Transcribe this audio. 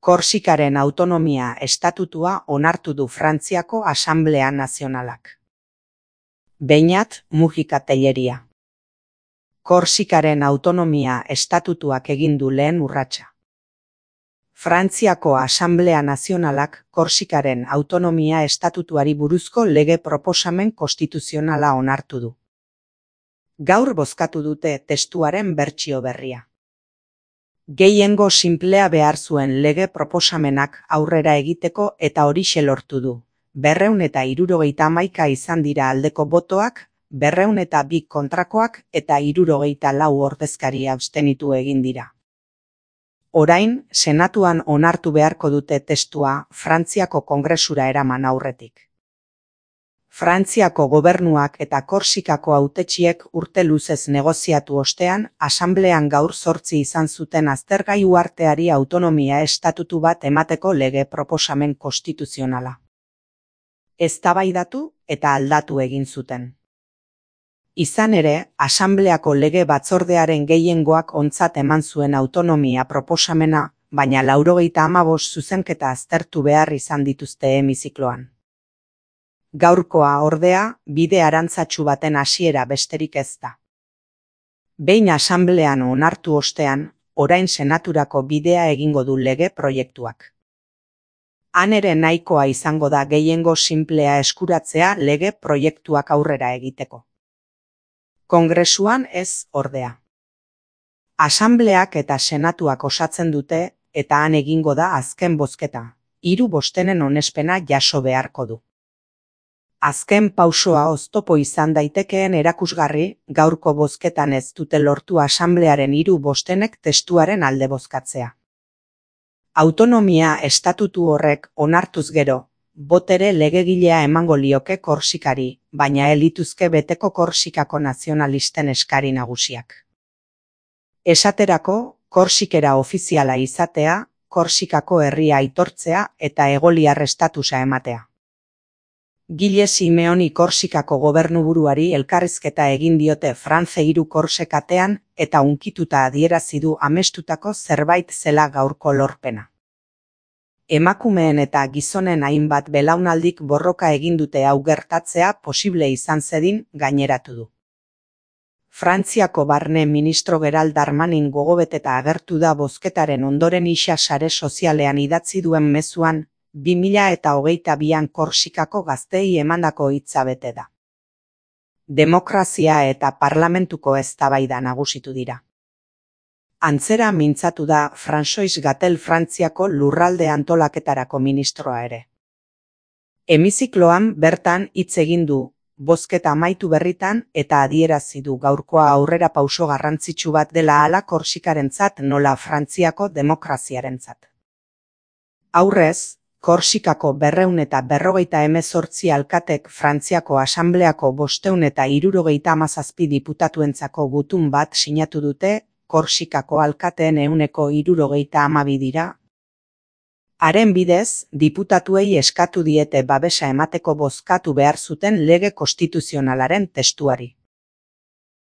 Korsikaren autonomia estatutua onartu du Frantziako Asanblea Nazionalak. Beñat Mujika Telleria. Korsikaren autonomia estatutuak egin du lehen urratsa. Frantziako Asanblea Nazionalak Korsikaren autonomia estatutuari buruzko lege proposamen konstituzionala onartu du. Gaur bozkatu dute testuaren bertsio berria. Gehiengo sinplea behar zuen lege proposamenak aurrera egiteko eta horixe lortu du. 271 izan dira aldeko botoak, 202 kontrakoak eta 64 ordezkari abstenitu egin dira. Orain, Senatuan onartu beharko dute testua Frantziako Kongresura eraman aurretik. Frantziako gobernuak eta Korsikako hautetsiek urte luzez negoziatu ostean, Asanblean gaur 8 izan zuten aztergai uharteari autonomia estatutu bat emateko lege proposamen konstituzionala. Eztabaidatu eta aldatu egin zuten. Izan ere, Asanbleako lege batzordearen gehiengoak ontzat eman zuen autonomia proposamena, baina 95 zuzenketa aztertu behar izan dituzte hemizikloan. Gaurkoa ordea, bide arantzatsu baten hasiera besterik ez da. Behin Asanblean onartu ostean, orain Senaturako bidea egingo du lege proiektuak. Han ere nahikoa izango da gehiengo sinplea eskuratzea lege proiektuak aurrera egiteko. Kongresuan ez ordea. Asanbleak eta Senatuak osatzen dute eta han egingo da azken bozketa. 3 bostenen onespena jaso beharko du. Azken pausoa oztopo izan daitekeen erakusgarri, gaurko bozketan ez dute lortu Asanblearen 3 bostenek testuaren alde bozkatzea. Autonomia estatutu horrek onartuz gero, botere legegilea emango lioke Korsikari, baina elituzke beteko Korsikako nazionalisten eskari nagusiak. Esaterako, Korsikera ofiziala izatea, Korsikako herria aitortzea eta egoliar estatusa ematea. Gile Simeoni Korsikako gobernuburuari elkarrizketa egin diote France 3 Korsikatean eta unkituta adierazi du amestutako zerbait zela gaurko lorpena. Emakumeen eta gizonen hainbat belaunaldik borroka egin dute hau gertatzea posible izan zedin gaineratu du. Frantziako barne ministro Gerald Darmanin gogobeteta agertu da bozketaren ondoren isa sare sozialean idatzi duen mezuan, 2022an Korsikako gazteei emandako hitza bete da. Demokrazia eta parlamentuko eztabaida nagusitu dira. Antzera mintzatu da François Gatel Frantziako lurralde antolaketarako ministroa ere. Hemizikloan bertan hitz egin du, bozketa amaitu berritan eta adierazi du gaurkoa aurrera pauso garrantzitsu bat dela hala Korsikarentzat nola Frantziako demokraziarentzat. Aurrez, Korsikako 258 alkatek Frantziako Asanbleako 577 diputatuentzako gutun bat sinatu dute, Korsikako alkateen 172 dira. Haren bidez, diputatuei eskatu diete babesa emateko bozkatu behar zuten lege konstituzionalaren testuari.